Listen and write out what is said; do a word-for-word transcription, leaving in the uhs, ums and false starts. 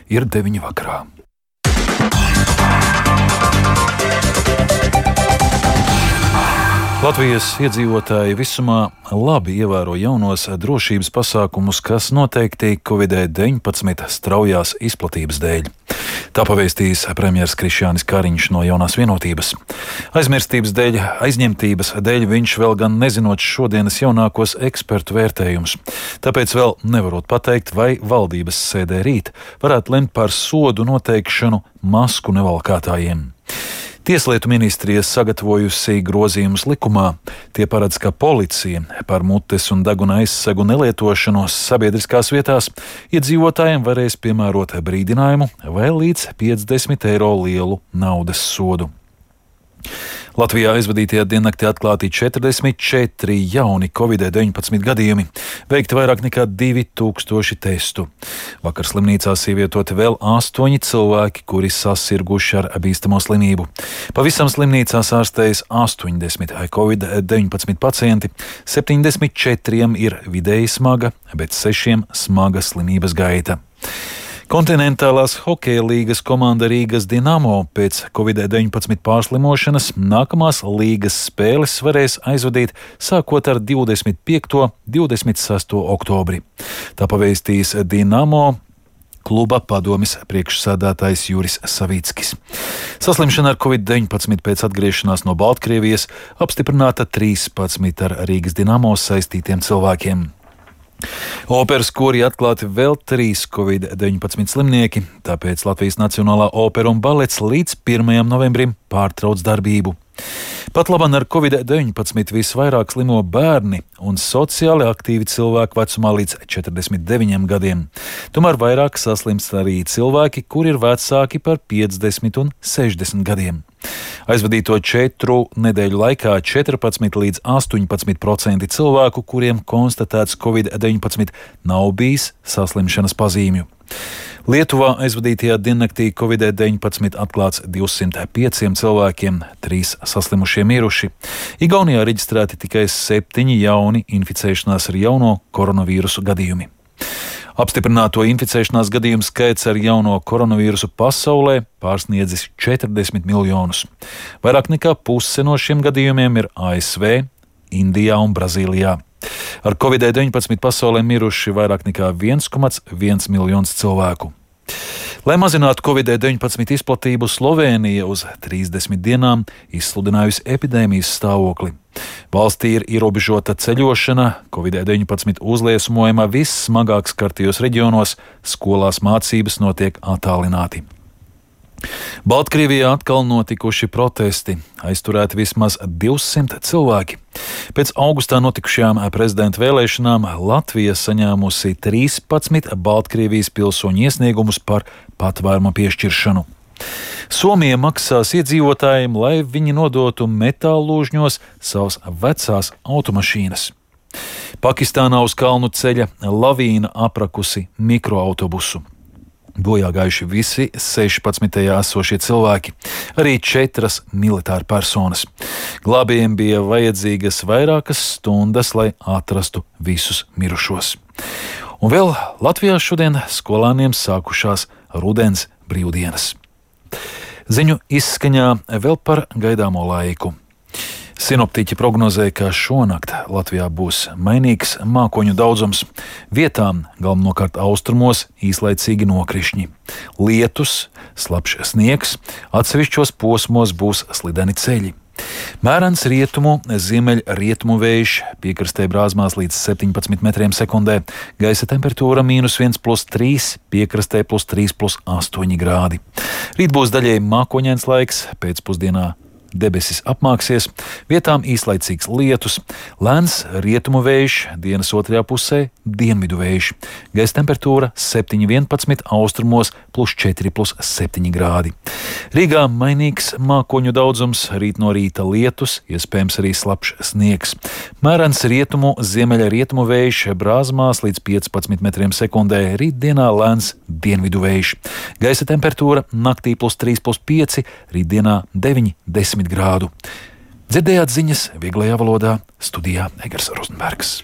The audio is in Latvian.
ir deviņi vakarā. Latvijas iedzīvotāji visumā labi ievēro jaunos drošības pasākumus, kas noteikti covid deviņpadsmit straujās izplatības dēļ. Tā pavēstījis premjers Krišjānis Kariņš no Jaunās Vienotības. Aizmirstības dēļ, aizņemtības dēļ viņš vēl gan nezinot šodienas jaunākos ekspertu vērtējumus. Tāpēc vēl nevarot pateikt, vai valdības sēdē rīt varētu lemt par sodu noteikšanu masku nevalkātājiem. Tieslietu ministrija sagatavojusi grozījumus likumā. Tie paredz, ka policija par mutes un deguna aizsegu nelietošanos sabiedriskās vietās iedzīvotājiem varēs piemērot brīdinājumu vai līdz piecdesmit eiro lielu naudas sodu. Latvijā aizvadītajā diennaktī atklāti četrdesmit četri jauni covid deviņpadsmit gadījumi, veikti vairāk nekā divi tūkstoši testu. Vakar slimnīcās ievietoti vēl astoņi cilvēki, kuri sasirguši ar bīstamo slimību. Pavisam slimnīcās ārstējas astoņdesmit covid deviņpadsmit pacienti, septiņdesmit četriem ir vidēji smaga, bet sešiem smaga slimības gaita. Kontinentālās hokeja līgas komanda Rīgas Dinamo pēc covid deviņpadsmit pārslimošanas nākamās līgas spēles varēs aizvadīt sākot ar divdesmit piekto un divdesmit sesto oktobri. Tā pavēstījis Dinamo kluba padomes priekšsēdētājs Juris Savīckis. Saslimšana ar covid deviņpadsmit pēc atgriešanās no Baltkrievijas apstiprināta trīspadsmit ar Rīgas Dinamo saistītiem cilvēkiem. Operas korī atklāti vēl trīs covid deviņpadsmit slimnieki, tāpēc Latvijas Nacionālā opera un balets līdz pirmajam novembrim pārtrauc darbību. Pat labam ar covid deviņpadsmit visvairāk slimo bērni un sociāli aktīvi cilvēki vecumā līdz četrdesmit deviņiem gadiem. Tomēr vairāk saslimst arī cilvēki, kuri ir vecāki par piecdesmit un sešdesmit gadiem. Aizvadīto četru nedēļu laikā četrpadsmit līdz astoņpadsmit procenti cilvēku, kuriem konstatēts covid deviņpadsmit, nav bijis saslimšanas pazīmju. Lietuvā aizvadītajā diennaktī covid deviņpadsmit atklāts divsimt pieciem cilvēkiem, trīs saslimušie miruši. Igaunijā reģistrēti tikai septiņi jauni inficēšanās ar jauno koronavīrusu gadījumi. Apstiprināto inficēšanās gadījumu skaits ar jauno koronavīrusu pasaulē pārsniedzis četrdesmit miljonus. Vairāk nekā puse no šiem gadījumiem ir A S V, Indijā un Brazīlijā. Ar covid deviņpadsmit pasaulē miruši vairāk nekā viens komats viens miljons cilvēku. Lai mazinātu covid deviņpadsmit izplatību, Slovēnija uz trīsdesmit dienām izsludinājusi epidēmijas stāvokli. Valstī ir ierobežota ceļošana, covid deviņpadsmit uzliesmojama vissmagāk skartajos reģionos, skolās mācības notiek attālināti. Baltkrievijā atkal notikuši protesti, aizturēti vismaz divsimt cilvēki. Pēc augustā notikušajām prezidenta vēlēšanām Latvija saņēmusi trīspadsmit Baltkrievijas pilsoņu iesniegumus par patvēruma piešķiršanu. Somija maksās iedzīvotājiem, lai viņi nodotu metāllūžņos savas vecās automašīnas. Pakistānā uz kalnu ceļa lavīna aprakusi mikroautobusu. Bojā gājuši visi sešpadsmit tajā esošie cilvēki, arī četras militāra personas. Glābējiem bija vajadzīgas vairākas stundas, lai atrastu visus mirušos. Un vēl Latvijā šodien skolāniem sākušās rudens brīvdienas. Ziņu izskaņā vēl par gaidāmo laiku. Sinoptiķi prognozē, ka šonakt Latvijā būs mainīgs mākoņu daudzums. Vietām, galvenokārt austrumos, īslaicīgi nokrišņi. Lietus, slapjš sniegs, atsevišķos posmos būs slideni ceļi. Mērens rietumu, ziemeļrietumu vējš, piekrastē brāzmās līdz septiņpadsmit metriem sekundē, gaisa temperatūra mīnus viens plus trīs, piekrastē plus trīs plus astoņi grādi. Rīt būs daļēji mākoņains laiks, pēcpusdienā debesis apmāksies, vietām īslaicīgs lietus, lēns rietumu vējš, dienas otrajā pusē dienvidu vējš. Gaisa temperatūra septiņi vienpadsmit, austrumos plus četri plus septiņi grādi. Rīgā mainīgs mākoņu daudzums, rīt no rīta lietus, iespējams arī slapjš sniegs. Mērens rietumu, ziemeļa rietumu vējš, brāzmās līdz piecpadsmit metriem sekundē, rītdienā lēns dienvidu vējš. Gaisa temperatūra naktī plus trīs plus pieci, rītdienā deviņi desmit grādu. Dzirdējāt ziņas vieglajā valodā, studijā Egers Rozenbergs.